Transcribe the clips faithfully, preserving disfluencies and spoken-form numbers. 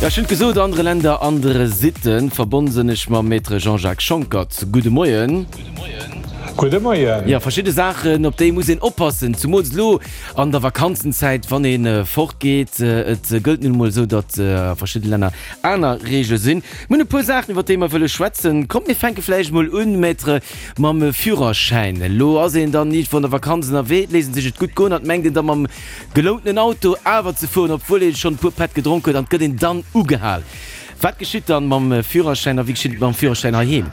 Ja, ech hunn et gesot, andere Länder, andere Sitten. Verbonn sinn ech mam Maître Jean-Jacques Schonckert. Gudde Moien. Gudde Moien. Ja, verschidde Saachen, op déi muss een oppassen, zumools elo an der Vakanzenzäit, wann ee fortgeet. Et gëllt nun emol esou, datt a verschidde Länner aner Reegele sinn. Mir hunn e puer Saachen, iwwer déi mer wëlle schwätzen. Kommt, mir fänke vläicht emol un, Maître, mam Führerschäin. Elo ass een dann iergendwou an der Vakanz ënnerwee, et léisst een sech et gutt goen an et mengt een da mam gelountenen Auto awer ze fueren, obwuel ee schonn e puer Pätt gedronk huet, an et gëtt een dann ugehal. Wat geschitt dann mam Führerschäin a wéi geschitt et mam Führerschäin heiheem?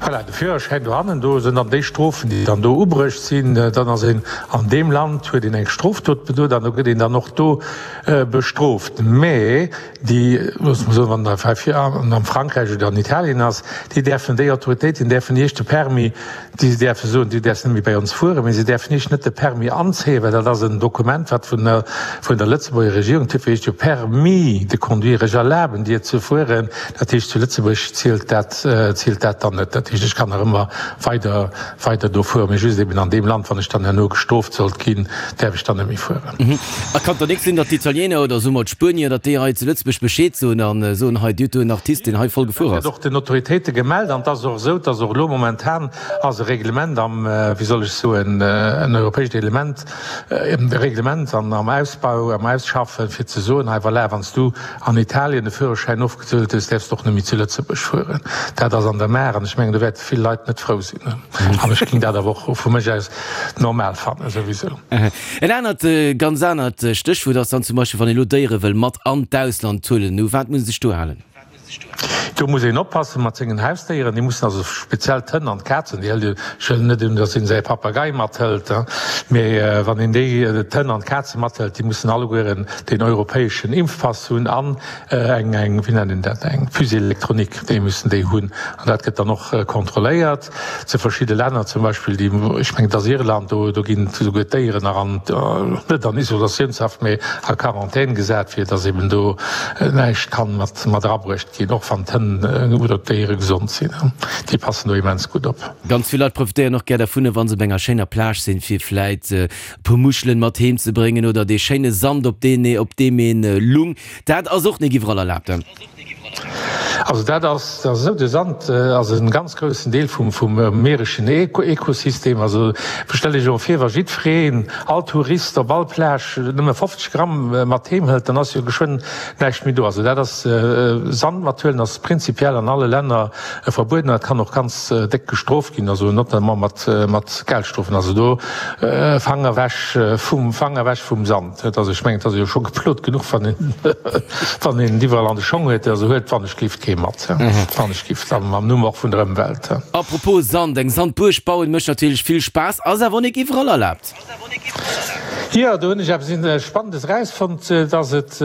Voilà, de Führerschäin dohannen, do sinn dann déi Strofen, déi dann do ubruecht sinn. Dann ass een an deem Land, huet een eng Strofdot bedoet an do gëtt een dann och do bestrooft. Mä déi, loosse mer soen, wann der hei am Frankräich oder an Italien ass, déi däerfen, déi Autoritéiten däerfen Iech de Permis, déi däerfe soen, du däerfs net méi bei ons fueren, mä se däerfen Iech net de Permis anzéien, well dat ass en Dokument, wat vun der, vun der Lëtzebuerger Regierung, duerfir heescht jo Permis de conduire, ech erlaben dir ze fueren. Dat heescht, zu Lëtzebuerg zielt dat, zielt dat dann net. Dat heescht, ech kann nach ëmmer weider, weider do fueren, mä just eben an deem Land, wann ech dann herno gestrooft sollt ginn, däerf ech dann net méi fueren. A kann et dann nik sinn, datt d'Italiener oder soe mer d'Spuenier, datt déi hei zu Lëtzebuerg Bescheed soen a soen, hei, dir hutt do en Artist, deen hei voll gefuer Dat ass? gëtt och den Autoritéite gemellt an et ass och esou, dass och elo momentan ass e Reglement am, wéi soll ech soen, en europäescht Element, e Reglement an am Ausbau, am Ausschaffen, fir ze soen, hei voilà, wann s du an Italien de Führerschäin ofgezuelt hues, däerfs de och net méi zu Lëtzebuerg fueren. Dat ass an der Maach an ech mengen, do wäerte vill Leit net frou sinn. An ech géing dat awer och vu mech aus normal fannen souwisou. En anert, ganz anert Stéchwuert ass dann zum Beispill, wann ee lo Déiere wëll mat an d'Ausland huelen, u wat muss ee sech do halen? Do muss een oppassen mat sengen Hausdéieren, déi mussen also speziell d'Hënn an d'Kazen, déi hëlt een, ech wëll net un, datt een säi Papagei mathëlt, mee wann een déi, d'Hënn an d'Kaze mathëlt, déi mussen allegueren deen europäeschen Impfpass hunn an eng, eng, wéi nennt een dat, eng Puce électronique, déi mussen déi hunn an dat gëtt dann och kontrolléiert. Zu verschidde Länner, zum Beispill déi, ech mengen et ass Irland, do, do ginn esouguer d'Déieren nach an, net an Isolatiounshaft, mee a Quarantän gesat, fir datt eben do näischt kann mat, mat erabruecht ginn, och wann d'Hënn oder d'Déiere gesond sinn. Déi passen do immens gutt op. Ganz vill Leit profitéieren och gär dervun, wa se op enger schéiner Plage sinn, fir vläit e puer Muschelen mat heem ze bréngen oder dee schéine Sand, op deen, op deem ee lung. Dat ass och nik iwwerall erlaabt. Also dat ass esou, de Sand ass e ganz groussen Deel vum vum meereschen Ökosystem. Also stellt Iech emol vir, wa jiddwereen, all Tourist op all Plage nëmme fofzeg Gramm mat heem hëlt, dann ass jo geschwënn näischt méi do. Also dat ass, Sand mathuelen ass prinzipiell an alle Länner verbueden an dat kann och ganz déck gestrooft ginn, also notamment mat mat Geldstrofen. Also do Fanger ewech vum Fanger ewech vum Sand. Also ech mengen, et ass ee jo scho geplot genuch, wann een, wann een et iwwerall an de Schong huet. Also huet wannechgelift kee mat, wannechgelift, am am Numm och vun der Ëmwelt. Apropos Sand, eng Sandbuerg bauen mécht natierlech vill Spaass, ass awer och nik iwwerall erlaabt. Jo, do hunn ech eppes Spannendes erausfonnt, dass et,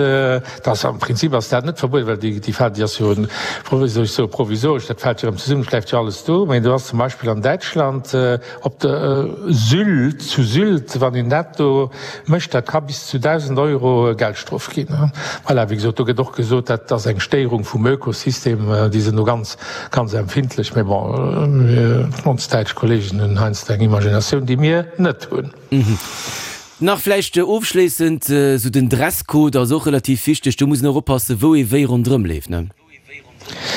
dass am Prinzip ass dat net verbueden, well déi, déi fält, déi ass jo, wéi soll ech soen, provisoresch, dat fält jo erëm zesummen, et bleift jo alles do. Mä do ass zum Beispill an Däitschland, Op der Sylt, zu Sylt, wann een dat do mécht, dat ka bis zu dausend Euro Geldstrof ginn. Voilà, wéi gesot, do gëtt och gesot, dat ass eng Stéierung vum Ökosystem, déi sinn do ganz, ganz empfindlech. Mee bon, ons däitsch Kollegen hunn heiansdo eng Imaginatioun, déi mir net hunn. Nach vläicht ofschléissend, esou den Dresscode ass och relativ wichteg, do muss een och oppassen, wou ee wéi ronderëm leeft, ne?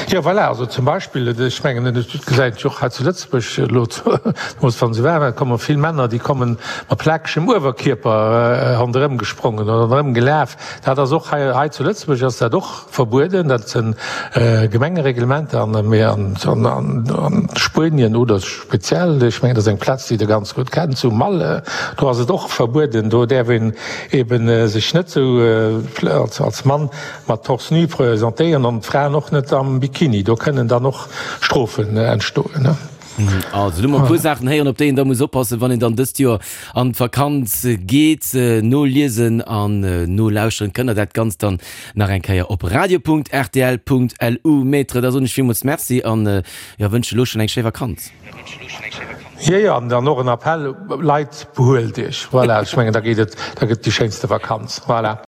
Jo, voilà, also zum Beispill, ech mengen, et gesäit een jo och hei zu Lëtzebuerg elo, zemools wa se waarm ass, komme vill Männer, déi komme mat plakegem Uewerkierper ronderëm gesprongen oder ronderëm gelaf. Dat ass och hei, hei zu Lëtzebuerg ass dat och verbueden, dat si Gemengereglementer an, mee an Spuenien oder speziell, ech mengen, dat ass eng Plaz, déi Der ganz gutt kennt, zu Malle, do ass et och verbueden, do däerf een eebe sech net esou als Mann Mat Torse nu presentéieren an d'Fraen och net am Bikini. Do kënnen dann och Strofen entstoen. Also do hu mer e puer Saachen héieren, op déi een da muss oppassen, wann een dann dëst Joer an d'Vakanz geet. Noliesen an nolauschteren kënnt der dat Ganzt dann nach eng Kéier op radio punkt rtl punkt lu. Maître, da soen ech villmools Merci an jo, wënschen elo schonn eng schéi Vakanz. Jo, jo, an dann och en Appell, Leit, behuelt iech. Voilà, ech mengen, da geet et, da gëtt et déi schéinste Vakanz. Voilà.